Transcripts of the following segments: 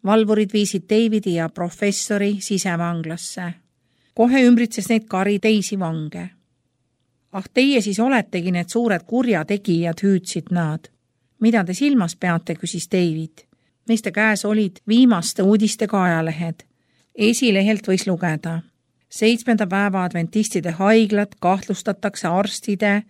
Valvurid viisid Davidi ja professori sisevanglasse. Kohe ümbritses neid kari teisi vange. Ah, teie siis oletegi need suured kurjategijad, hüüdsid nad. Mida te silmas peate, küsis David. Meiste käes olid viimaste uudistega ajalehed. Esilehelt võis lugeda. 7. päeva adventistide haiglat kahtlustatakse arstide,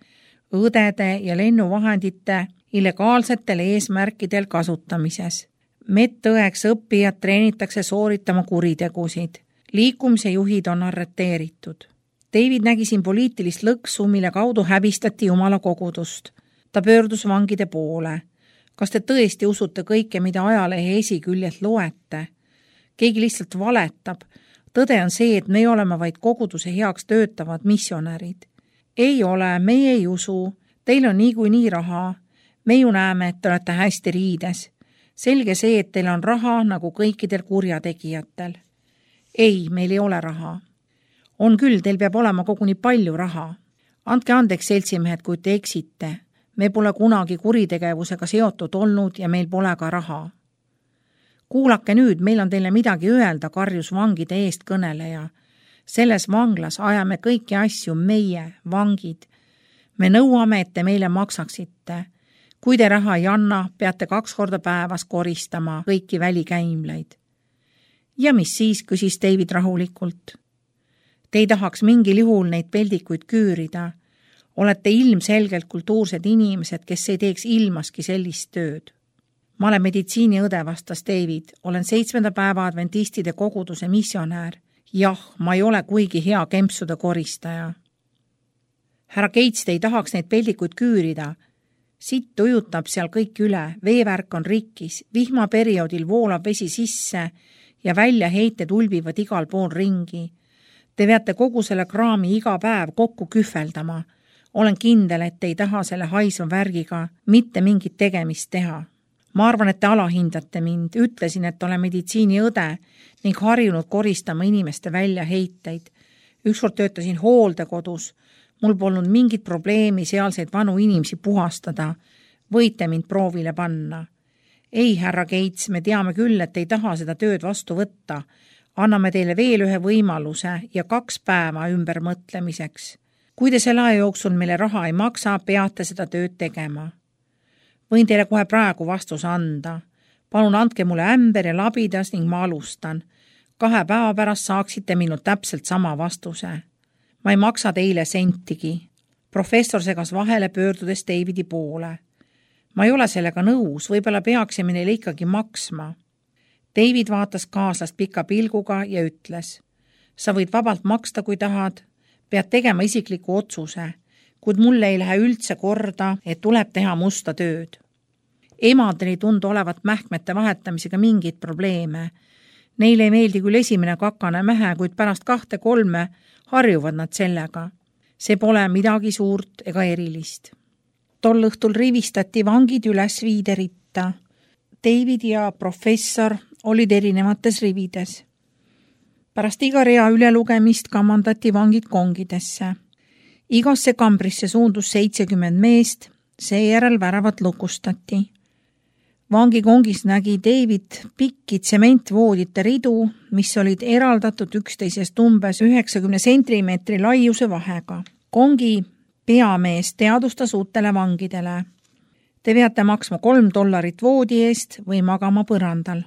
õdede ja lennuvahendite illegaalsetel eesmärkidel kasutamises. Medõeks õppijad treenitakse sooritama kuritegusid. Liikumise juhid on arreteeritud. David nägi siin poliitilist lõksu, mille kaudu häbistati Jumala kogudust. Ta pöördus vangide poole. Kas te tõesti usute kõike, mida ajalehe esiküljelt loete? Keegi lihtsalt valetab. Tõde on see, et me oleme vaid koguduse heaks töötavad missionärid. Ei ole, meie ei usu. Teil on niikuinii raha. Me ju näeme, et te olete hästi riides. Selge see, et teil on raha nagu kõikidel kurjategijatel. Ei, meil ei ole raha. On küll, teil peab olema koguni palju raha. Andke andeks, seltsimehed, kui te eksite. Me pole kunagi kuritegevusega seotud olnud ja meil pole ka raha. Kuulake nüüd, meil on teile midagi öelda, karjus vangide eest kõneleja. Selles vanglas ajame kõiki asju meie, vangid. Me nõuame, et te meile maksaksite. Kui te raha ei anna, peate 2 korda päevas koristama kõiki välikäimleid. Ja mis siis, küsis David rahulikult. Te ei tahaks mingil juhul neid peldikuid küürida. Olete ilmselgelt kultuursed inimesed, kes ei teeks ilmaski sellist tööd. Ma olen meditsiiniõde, vastas David. Olen 7. päeva adventistide koguduse missionäär. Jah, ma ei ole kuigi hea kempsude koristaja. Härra Gates, te ei tahaks neid peldikuid küürida. Sitt ujutab seal kõik üle, veevärk on rikkis, vihmaperioodil voolab vesi sisse ja väljaheited ulbivad igal pool ringi. Te peate kogu selle kraami iga päev kokku kühveldama. Olen kindel, et te ei taha selle haisva värgiga mitte mingit tegemist teha. Ma arvan, et te alahindate mind. Ütlesin, et olen meditsiiniõde ning harjunud koristama inimeste väljaheiteid. Ükskord töötasin hooldekodus. Mul polnud mingit probleemi sealseid vanu inimesi puhastada. Võite mind proovile panna. Ei, härra Gates, me teame küll, et ei taha seda tööd vastu võtta. Anname teile veel ühe võimaluse ja 2 päeva ümbermõtlemiseks. Kui te selle aja jooksul meile raha ei maksa, peate seda tööd tegema. Võin teile kohe praegu vastuse anda. Palun andke mulle ämber ja labidas ning ma alustan. 2 päeva pärast saaksite minult täpselt sama vastuse. Ma ei maksa teile sentigi. Professor segas vahele pöördudes Davidi poole. Ma ei ole sellega nõus, võib-olla peaksime neile ikkagi maksma. David vaatas kaaslast pika pilguga ja ütles. Sa võid vabalt maksta, kui tahad. Pead tegema isikliku otsuse, kuid mulle ei lähe üldse korda, et tuleb teha musta tööd. Emadel ei tundu olevat mähkmete vahetamisega mingit probleeme. Neile ei meeldi küll esimene kakane mähe, kuid pärast 2-3 harjuvad nad sellega. See pole midagi suurt ega erilist. Tol õhtul rivistati vangid üles viideritta. David ja professor olid erinevates rivides. Pärast iga rea ülelugemist kamandati vangid kongidesse. Igasse kambrisse suundus 70 meest, seejärel väravad lukustati. Vangikongis nägi David pikki tsementvoodite ridu, mis olid eraldatud üksteisest umbes 90 sentimeetri laiuse vahega. Kongi peamees teadustas uutele vangidele. Te peate maksma $3 voodi eest või magama põrandal.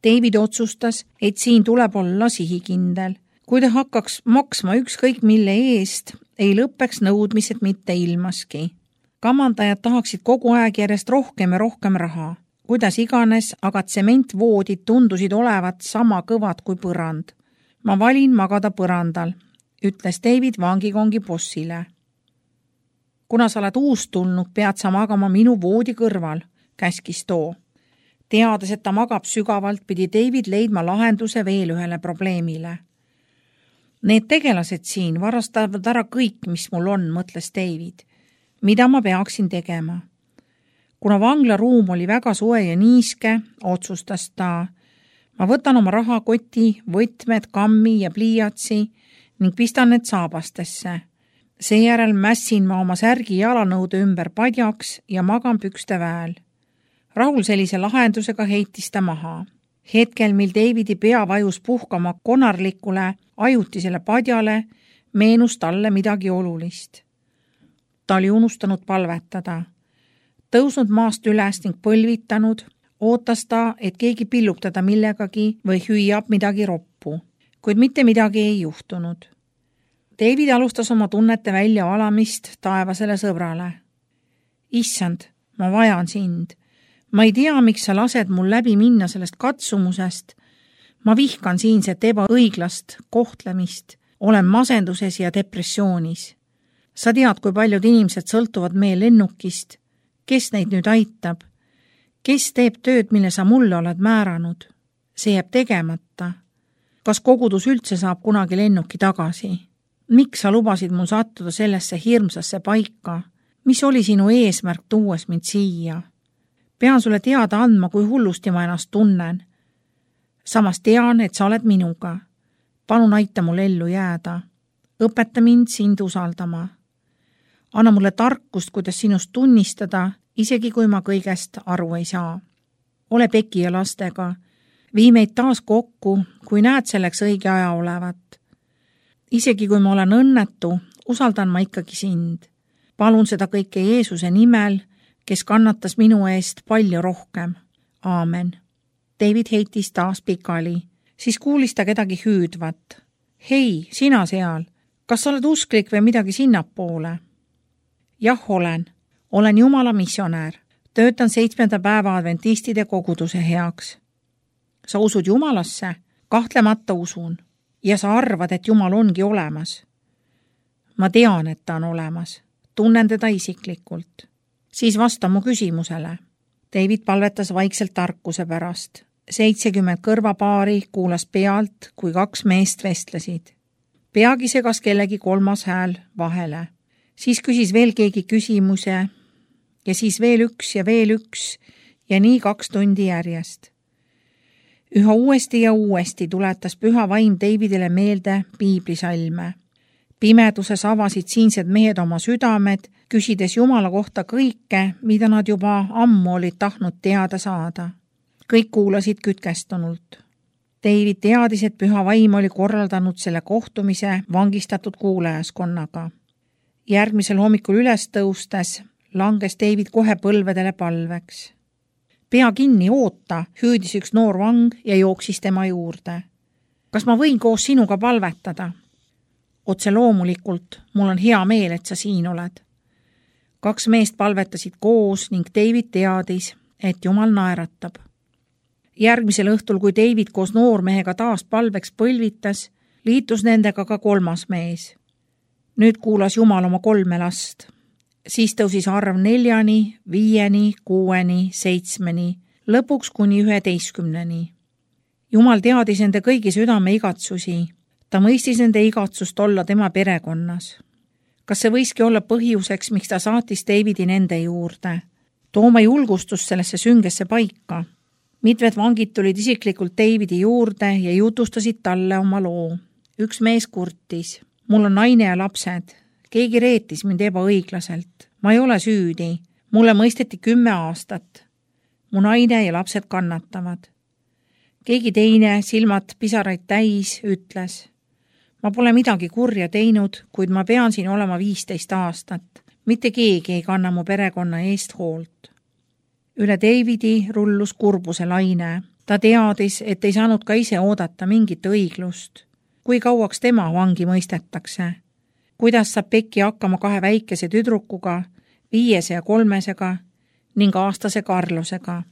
David otsustas, et siin tuleb olla sihikindel. Kui ta hakkaks maksma ükskõik mille eest, ei lõppeks nõudmised mitte ilmaski. Kamandajad tahaksid kogu aeg järjest rohkem ja rohkem raha. Kuidas iganes, aga tsementvoodid tundusid olevat sama kõvad kui põrand. Ma valin magada põrandal, ütles David vangikongi bossile. Kuna sa oled uustulnud, pead sa magama minu voodi kõrval, käskis too. Teades, et ta magab sügavalt, pidi David leidma lahenduse veel ühele probleemile. Need tegelased siin varastavad ära kõik, mis mul on, mõtles David. Mida ma peaksin tegema? Kuna vanglaruum oli väga soe ja niiske, otsustas ta. Ma võtan oma rahakoti, võtmed, kammi ja pliiatsi ning pistan need saabastesse. Seejärel mässin ma oma särgi jalanõude ümber padjaks ja magan pükste väel. Rahul sellise lahendusega heitis ta maha. Hetkel, mil Davidi pea vajus puhkama konarlikule ajutisele padjale, meenus talle midagi olulist. Ta oli unustanud palvetada. Tõusnud maast üles ning põlvitanud, ootas ta, et keegi pillub teda millegagi või hüüab midagi roppu, kuid mitte midagi ei juhtunud. David alustas oma tunnete väljavalamist taevasele sõbrale. Issand, ma vajan sind. Ma ei tea, miks sa lased mul läbi minna sellest katsumusest. Ma vihkan siinset ebaõiglast kohtlemist. Olen masenduses ja depressioonis. Sa tead, kui paljud inimesed sõltuvad meie lennukist. Kes neid nüüd aitab? Kes teeb tööd, mille sa mulle oled määranud? See jääb tegemata. Kas kogudus üldse saab kunagi lennuki tagasi? Miks sa lubasid mul sattuda sellesse hirmsasse paika? Mis oli sinu eesmärk tuues mind siia? Pean sulle teada andma, kui hullusti ma ennast tunnen. Samas tean, et sa oled minuga. Palun aita mul ellu jääda. Õpeta mind sind usaldama. Anna mulle tarkust, kuidas sinust tunnistada, isegi kui ma kõigest aru ei saa. Ole Peki ja lastega. Vii meid taas kokku, kui näed selleks õige aja olevat. Isegi kui ma olen õnnetu, usaldan ma ikkagi sind. Palun seda kõike Jeesuse nimel, kes kannatas minu eest palju rohkem. Aamen. David heitis taas pikali. Siis kuulis ta kedagi hüüdvat. Hei, sina seal. Kas sa oled usklik või midagi sinnapoole? Jah, olen. Olen Jumala missionäär. Töötan 7. päeva adventistide koguduse heaks. Sa usud Jumalasse? Kahtlemata usun. Ja sa arvad, et Jumal ongi olemas. Ma tean, et ta on olemas. Tunnen teda isiklikult. Siis vasta mu küsimusele. David palvetas vaikselt tarkuse pärast. 70 kõrvapaari kuulas pealt, kui 2 meest vestlesid. Peagi segas kellegi 3. hääl vahele. Siis küsis veel keegi küsimuse ja siis veel üks ja nii 2 tundi järjest. Üha uuesti ja uuesti tuletas püha vaim Davidile meelde piiblisalme. Pimeduses avasid siinsed mehed oma südamed, küsides Jumala kohta kõike, mida nad juba ammu olid tahtnud teada saada. Kõik kuulasid kütkestunult. David teadis, et püha vaim oli korraldanud selle kohtumise vangistatud kuulajaskonnaga. Järgmisel hommikul üles tõustes langes David kohe põlvedele palveks. Pea kinni, oota, hüüdis üks noor vang ja jooksis tema juurde. Kas ma võin koos sinuga palvetada? Otse loomulikult, mul on hea meel, et sa siin oled. 2 meest palvetasid koos ning David teadis, et Jumal naeratab. Järgmisel õhtul, kui David koos noormehega taas palveks põlvitas, liitus nendega ka 3. mees. Nüüd kuulas Jumal oma 3 last. Siis tõusis arv 4, 5, 6, 7, lõpuks kuni 11. Jumal teadis nende kõigi südame igatsusi. Ta mõistis nende igatsust olla tema perekonnas. Kas see võiski olla põhjuseks, miks ta saatis Davidi nende juurde? Tooma julgustust sellesse süngesse paika. Mitmed vangid tulid isiklikult Davidi juurde ja jutustasid talle oma loo. Üks mees kurtis. Mul on naine ja lapsed. Keegi reetis mind ebaõiglaselt. Ma ei ole süüdi. Mulle mõisteti 10 aastat. Mu naine ja lapsed kannatavad. Keegi teine, silmad pisaraid täis, ütles. Ma pole midagi kurja teinud, kuid ma pean siin olema 15 aastat. Mitte keegi ei kanna mu perekonna eest hoolt. Üle Davidi rullus kurbuse laine. Ta teadis, et ei saanud ka ise oodata mingit õiglust. Kui kauaks tema vangi mõistetakse? Kuidas saab Peki hakkama 2 väikese tüdrukuga, 5 ja 3 ning aastase Karlosega?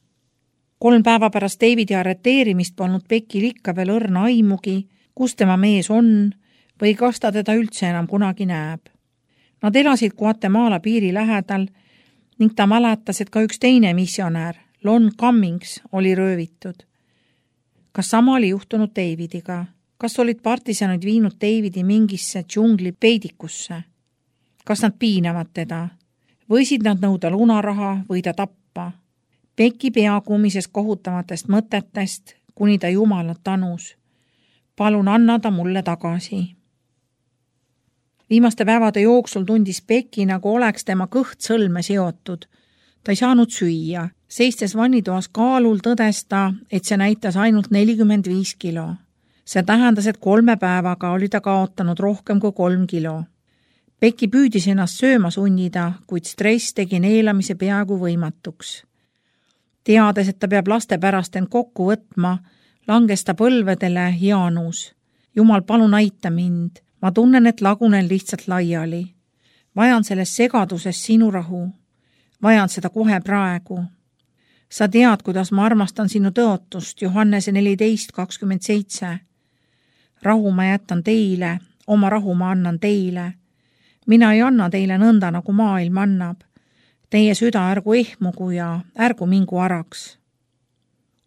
3 päeva pärast Davidi arreteerimist polnud Pekil ikka veel õrna aimugi, kus tema mees on või kas ta teda üldse enam kunagi näeb. Nad elasid Guatemala piiri lähedal ning ta mäletas, et ka üks teine missionäär, Lon Cummings, oli röövitud. Kas sama oli juhtunud Davidiga? Kas olid partisanid viinud Davidi mingisse džungli peidikusse? Kas nad piinavad teda? Võisid nad nõuda lunaraha või ta tappa? Peki pea kummises kohutamatest mõtetest, kuni ta Jumalat tanus. Palun anna ta mulle tagasi. Viimaste päevade jooksul tundis Peki, nagu oleks tema kõht sõlme seotud. Ta ei saanud süüa. Seistes vannitoas kaalul tõdes ta, et see näitas ainult 45 kilo. See tähendas, et 3 päevaga oli ta kaotanud rohkem kui 3 kilo. Becky püüdis ennast sööma sunnida, kuid stress tegi neelamise peaaegu võimatuks. Teades, et ta peab laste pärast end kokku võtma, langes ta põlvedele Jaanus. Jumal, palun aita mind. Ma tunnen, et lagunen lihtsalt laiali. Vajan selles segaduses sinu rahu. Vajan seda kohe praegu. Sa tead, kuidas ma armastan sinu tõotust, Johannese 14:27. Rahu ma jätan teile, oma rahu ma annan teile. Mina ei anna teile nõnda, nagu maailm annab. Teie süda ärgu ehmugu ja ärgu mingu araks.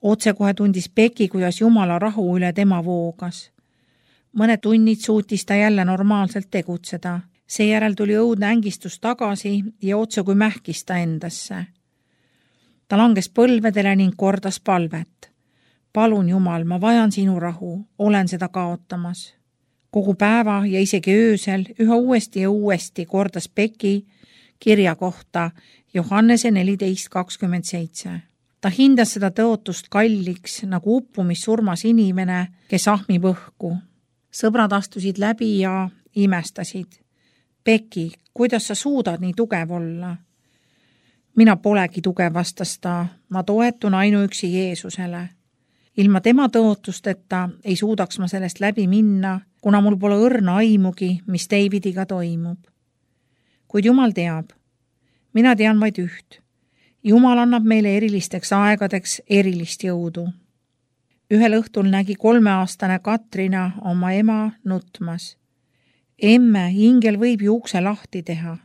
Otsekohe tundis Becky, kuidas Jumala rahu üle tema voogas. Mõned tunnid suutis ta jälle normaalselt tegutseda. Seejärel tuli õudne ängistus tagasi ja otse kui mähkis ta endasse. Ta langes põlvedele ning kordas palvet. Palun Jumal, ma vajan sinu rahu, olen seda kaotamas. Kogu päeva ja isegi öösel üha uuesti ja uuesti kordas Becky kirja kohta Johannese 14:27. Ta hindas seda tõotust kalliks, nagu uppumissurmas inimene, kes ahmib õhku. Sõbrad astusid läbi ja imestasid. Becky, kuidas sa suudad nii tugev olla? Mina polegi tugev, vastas ta, ma toetun ainuüksi Jeesusele. Ilma tema tõotusteta ei suudaks ma sellest läbi minna, kuna mul pole õrna aimugi, mis Davidiga toimub. Kuid Jumal teab. Mina tean vaid üht. Jumal annab meile erilisteks aegadeks erilist jõudu. Ühel õhtul nägi 3-aastane Katrina oma ema nutmas. Emme, ingel võib ju ukse lahti teha.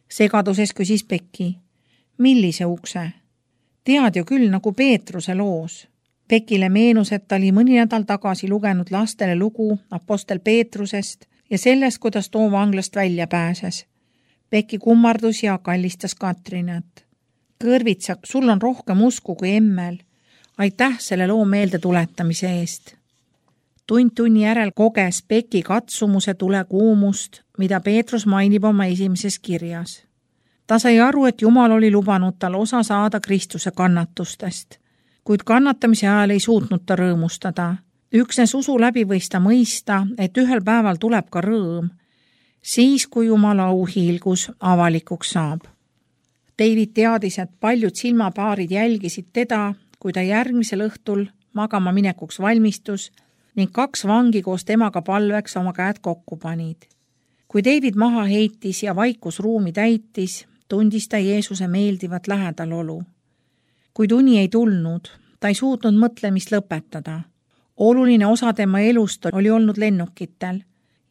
Segaduses küsis Becky. Millise ukse? Tead ju küll, nagu Peetruse loos. Beckile meenus, et ta oli mõni nädal tagasi lugenud lastele lugu apostel Peetrusest ja sellest, kuidas too vanglast välja pääses. Becky kummardus ja kallistas Katrinat. Kõrvitsak, sul on rohkem usku kui emmel. Aitäh selle loo meelde tuletamise eest. Tunni järel koges Becky katsumuse tulekuumust, mida Peetrus mainib oma esimeses kirjas. Ta sai aru, et Jumal oli lubanud tal osa saada Kristuse kannatustest, kuid kannatamise ajal ei suutnud ta rõõmustada. Üksnes usu läbi võis ta mõista, et ühel päeval tuleb ka rõõm, siis kui Jumala auhiilgus avalikuks saab. David teadis, et paljud silmapaarid jälgisid teda, kui ta järgmisel õhtul magama minekuks valmistus ning 2 vangi koos temaga palveks oma käed kokku panid. Kui David maha heitis ja vaikus ruumi täitis, tundis ta Jeesuse meeldivat lähedalolu. Kuid uni ei tulnud, ta ei suutnud mõtlemist lõpetada. Oluline osa tema elust oli olnud lennukitel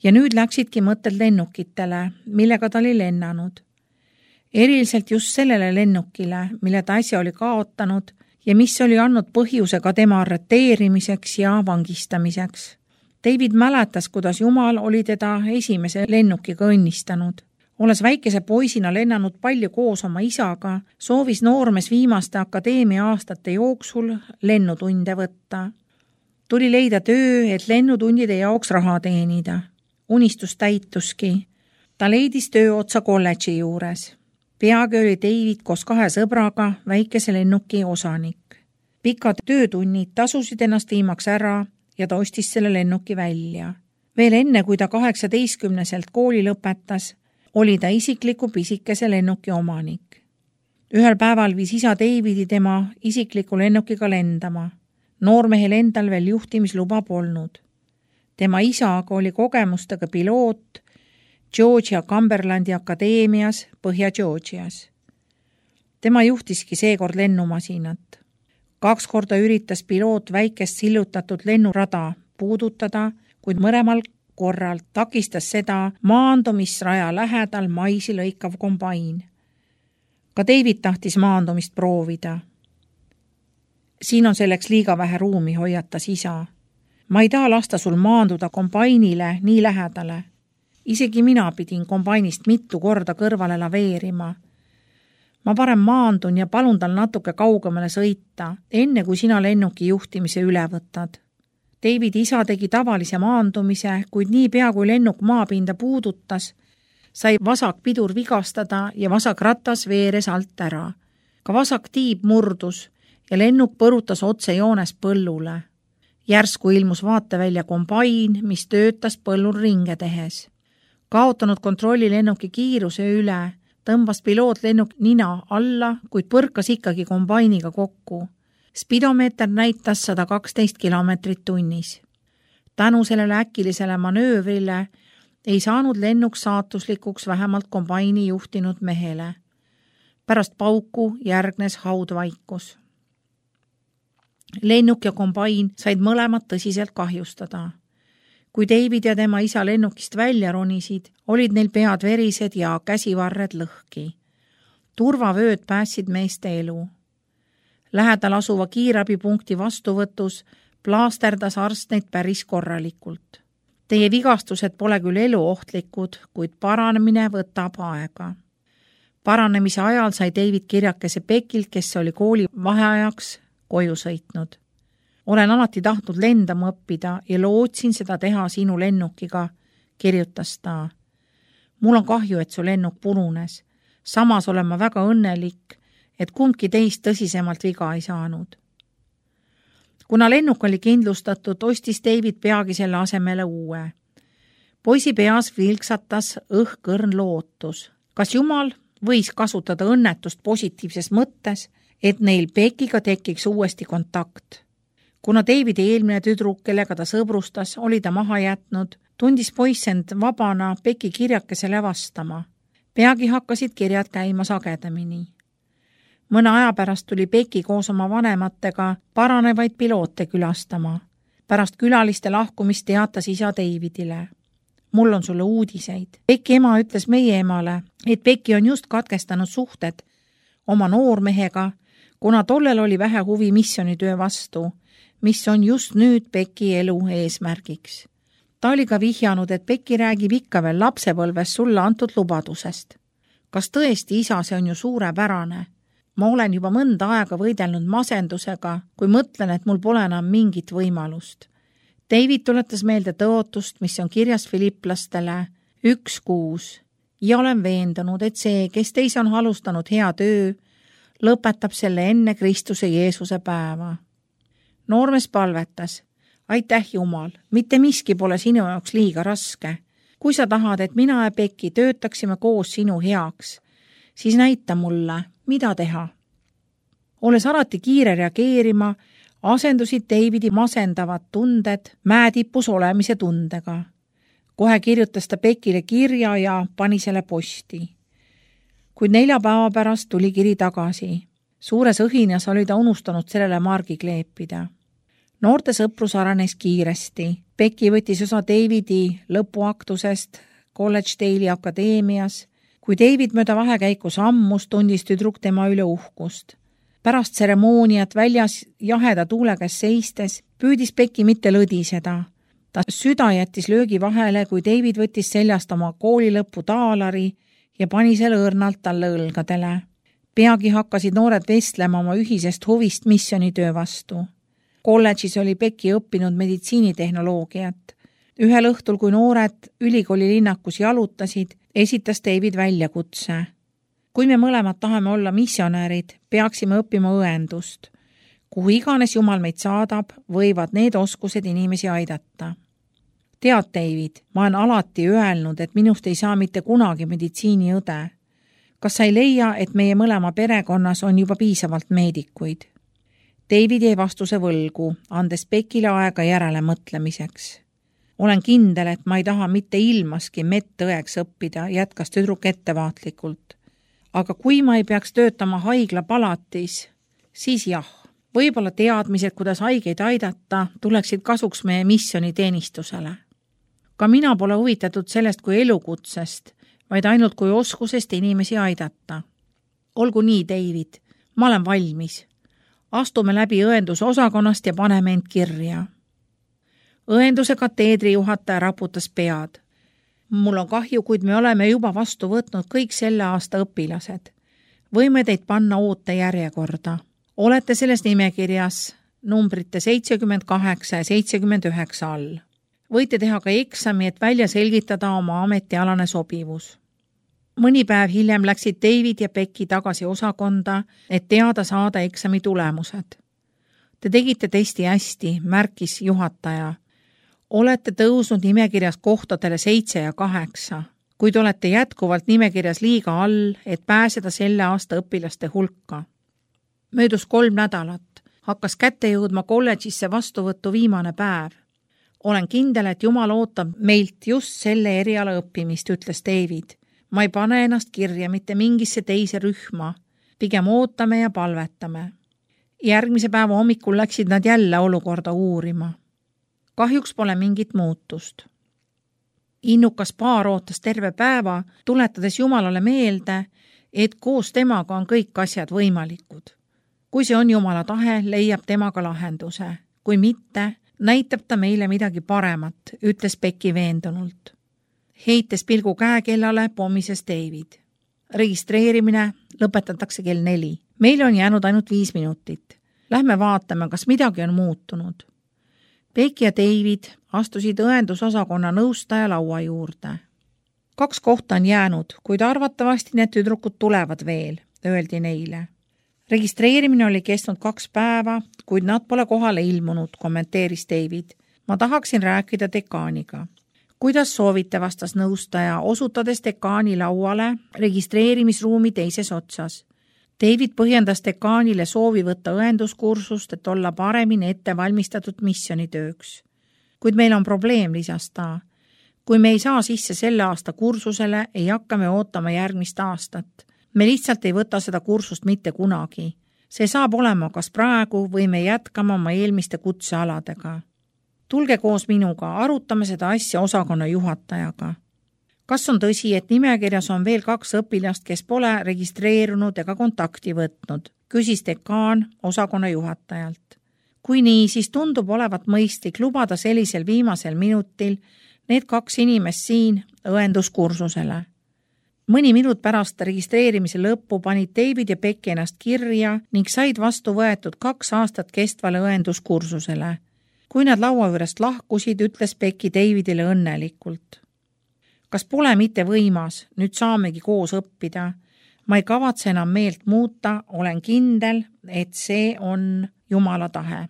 ja nüüd läksidki mõtted lennukitele, millega ta oli lennanud. Eriliselt just sellele lennukile, mille ta äsja oli kaotanud ja mis oli andnud põhjuse ka tema arreteerimiseks ja vangistamiseks. David mäletas, kuidas Jumal oli teda esimese lennukiga õnnistanud. Olles väikese poisina lennanud palju koos oma isaga, soovis noormees viimaste akadeemia aastate jooksul lennutunde võtta. Tuli leida töö, et lennutundide jaoks raha teenida. Unistus täituski. Ta leidis töö otsa kolledži juures. Peagi oli David koos 2 sõbraga väikese lennuki osanik. Pikad töötunnid tasusid ennast viimaks ära ja ta ostis selle lennuki välja. Veel enne, kui ta 18-selt kooli lõpetas, oli ta isikliku pisikese lennuki omanik. Ühel päeval viis isa Davidi tema isikliku lennukiga lendama. Noormehel endal veel juhtimisluba polnud. Tema isa aga oli kogemustega piloot Georgia Cumberlandi akadeemias Põhja-Georgias. Tema juhtiski seekord lennumasinat. 2 korda üritas piloot väikest sillutatud lennurada puudutada, kuid mõlemal korral takistas seda maandumisraja lähedal maisi lõikav kombain. Ka David tahtis maandumist proovida. Siin on selleks liiga vähe ruumi, hoiatas isa. Ma ei taha lasta sul maanduda kombainile nii lähedale. Isegi mina pidin kombainist mitu korda kõrvale laveerima. Ma parem maandun ja palun tal natuke kaugemale sõita, enne kui sina lennuki juhtimise üle võtad. David isa tegi tavalise maandumise, kuid niipea kui lennuk maapinda puudutas, sai vasak pidur vigastada ja vasak ratas veeres alt ära. Ka vasak tiib murdus ja lennuk põrutas otse joones põllule. Järsku ilmus vaatevälja kombain, mis töötas põllul ringe tehes. Kaotanud kontrolli lennuki kiiruse üle, tõmbas piloot lennuk nina alla, kuid põrkas ikkagi kombainiga kokku. Spidomeeter näitas 112 kilomeetrit tunnis. Tänu sellele äkilisele manöövrile ei saanud lennuk saatuslikuks vähemalt kombaini juhtinud mehele. Pärast pauku järgnes haudvaikus. Lennuk ja kombain said mõlemad tõsiselt kahjustada. Kui David ja tema isa lennukist välja ronisid, olid neil pead verised ja käsivarred lõhki. Turvavööd päästsid meeste elu. Lähedal asuva kiirabipunkti vastuvõtus plaasterdas arst neid päris korralikult. Teie vigastused pole küll eluohtlikud, kuid paranemine võtab aega. Paranemise ajal sai David kirjakese Beckilt, kes oli kooli vaheajaks koju sõitnud. Olen alati tahtnud lendama õppida ja lootsin seda teha sinu lennukiga, kirjutas ta. Mul on kahju, et su lennuk purunes. Samas olen ma väga õnnelik, et kumbki teist tõsisemalt viga ei saanud. Kuna lennuk oli kindlustatud, ostis David peagi selle asemele uue. Poisi peas vilksatas õhkõrn lootus. Kas Jumal võis kasutada õnnetust positiivses mõttes, et neil Beckiga tekiks uuesti kontakt? Kuna Davidi eelmine tüdruk, kellega ta sõbrustas, oli ta maha jätnud, tundis poiss end vabana Becki kirjakesele vastama. Peagi hakkasid kirjad käima sagedamini. Mõne aja pärast tuli Becki koos oma vanematega paranevaid piloote külastama. Pärast külaliste lahkumist teatas isa Davidile. Mul on sulle uudiseid. Becki ema ütles meie emale, et Becki on just katkestanud suhted oma noormehega, kuna tollel oli vähe huvi missionitöö vastu, mis on just nüüd Becki elu eesmärgiks. Ta oli ka vihjanud, et Becki räägib ikka veel lapsepõlves sulle antud lubadusest. Kas tõesti, isa, see on ju suurepärane? Ma olen juba mõnda aega võidelnud masendusega, kui mõtlen, et mul pole enam mingit võimalust. David tuletas meelde tõotust, mis on kirjas Filipplastele 1:6 ja olen veendunud, et see, kes teis on alustanud hea töö, lõpetab selle enne Kristuse Jeesuse päeva. Noormees palvetas, aitäh Jumal, mitte miski pole sinu jaoks liiga raske. Kui sa tahad, et mina ja Becki töötaksime koos sinu heaks, siis näita mulle, mida teha. Olles alati kiire reageerima, asendusid Davidi masendavad tunded mäetipus olemise tundega. Kohe kirjutas ta Beckile kirja ja pani selle posti. Kuid 4 päeva pärast tuli kiri tagasi. Suures õhinas oli ta unustanud sellele margi kleepida. Noorte sõprus arenes kiiresti. Becki võttis osa Davidi lõpuaktusest Collegedale'i akadeemias. Kui David mööda vahekäiku sammus, tundis tüdruk tema üle uhkust. Pärast tseremooniat väljas jaheda tuule käes seistes püüdis Becki mitte lõdiseda. Ta süda jättis löögi vahele, kui David võttis seljast oma koolilõpu taalari ja pani selle õrnalt talle õlgadele. Peagi hakkasid noored vestlema oma ühisest huvist missionitöö vastu. Kolledžis oli Becki õppinud meditsiinitehnoloogiat. Ühel õhtul, kui noored ülikooli linnakus jalutasid, esitas David väljakutse. Kui me mõlemad tahame olla missionäärid, peaksime õppima õendust. Kuhu iganes Jumal meid saadab, võivad need oskused inimesi aidata. Tead, David, ma olen alati öelnud, et minust ei saa mitte kunagi meditsiiniõde. Kas sa ei leia, et meie mõlema perekonnas on juba piisavalt meedikuid? David jäi vastuse võlgu, andes Beckile aega järele mõtlemiseks. Olen kindel, et ma ei taha mitte ilmaski medõeks õppida, jätkas tüdruk ettevaatlikult. Aga kui ma ei peaks töötama haiglapalatis, siis jah, võib-olla teadmised, kuidas haigeid aidata, tuleksid kasuks meie missioniteenistusele. Ka mina pole huvitatud sellest kui elukutsest, vaid ainult kui oskusest inimesi aidata. Olgu nii, David, ma olen valmis. Astume läbi õenduse osakonnast ja paneme end kirja. Õenduse kateedri juhataja raputas pead. Mul on kahju, kuid me oleme juba vastu võtnud kõik selle aasta õpilased. Võime teid panna ootejärjekorda. Olete selles nimekirjas numbrite 78 ja 79 all. Võite teha ka eksami, et välja selgitada oma ametialane sobivus. Mõni päev hiljem läksid David ja Becky tagasi osakonda, et teada saada eksami tulemused. Te tegite testi hästi, märkis juhataja. Olete tõusnud nimekirjas kohtadele 7 ja 8, kuid olete jätkuvalt nimekirjas liiga all, et pääseda selle aasta õpilaste hulka. Möödus 3 nädalat, hakkas kätte jõudma kolledžisse vastuvõttu viimane päev. Olen kindel, et Jumal ootab meilt just selle eriala õppimist, ütles David. Ma ei pane ennast kirja mitte mingisse teise rühma, pigem ootame ja palvetame. Järgmise päeva hommikul läksid nad jälle olukorda uurima. Kahjuks pole mingit muutust. Innukas paar ootas terve päeva, tuletades Jumalale meelde, et koos temaga on kõik asjad võimalikud. Kui see on Jumala tahe, leiab temaga lahenduse. Kui mitte, näitab ta meile midagi paremat, ütles Becky veendunult. Heites pilgu käekellale pommises David. Registreerimine lõpetatakse kell 4. Meil on jäänud ainult 5 minutit. Lähme vaatame, kas midagi on muutunud. Becky ja David astusid õendusosakonna nõustaja laua juurde. 2 kohta on jäänud, kuid arvatavasti need tüdrukud tulevad veel, öeldi neile. Registreerimine oli kestnud 2 päeva, kuid nad pole kohale ilmunud, kommenteeris David. Ma tahaksin rääkida dekaaniga. Kuidas soovite, vastas nõustaja, osutades dekaani lauale registreerimisruumi teises otsas. David põhjendas dekaanile soovi võtta õenduskursust, et olla paremini ette valmistatud missionitööks. Kuid meil on probleem, lisas ta. Kui me ei saa sisse selle aasta kursusele, ei hakka me ootama järgmist aastat. Me lihtsalt ei võta seda kursust mitte kunagi. See saab olema kas praegu või me jätkame oma eelmiste kutsealadega. Tulge koos minuga, arutame seda asja osakonna juhatajaga. Kas on tõsi, et nimekirjas on veel 2 õpilast, kes pole registreerunud ega kontakti võtnud, küsis dekaan osakonna juhatajalt. Kui nii, siis tundub olevat mõistlik lubada sellisel viimasel minutil need 2 inimest siin õenduskursusele. Mõni minut pärast registreerimise lõppu panid David ja Becky ennast kirja ning said vastu võetud 2 aastat kestvale õenduskursusele. Kui nad laua juurest lahkusid, ütles Becky Davidile õnnelikult. Kas pole mitte võimas, nüüd saamegi koos õppida. Ma ei kavatse enam meelt muuta, olen kindel, et see on Jumala tahe.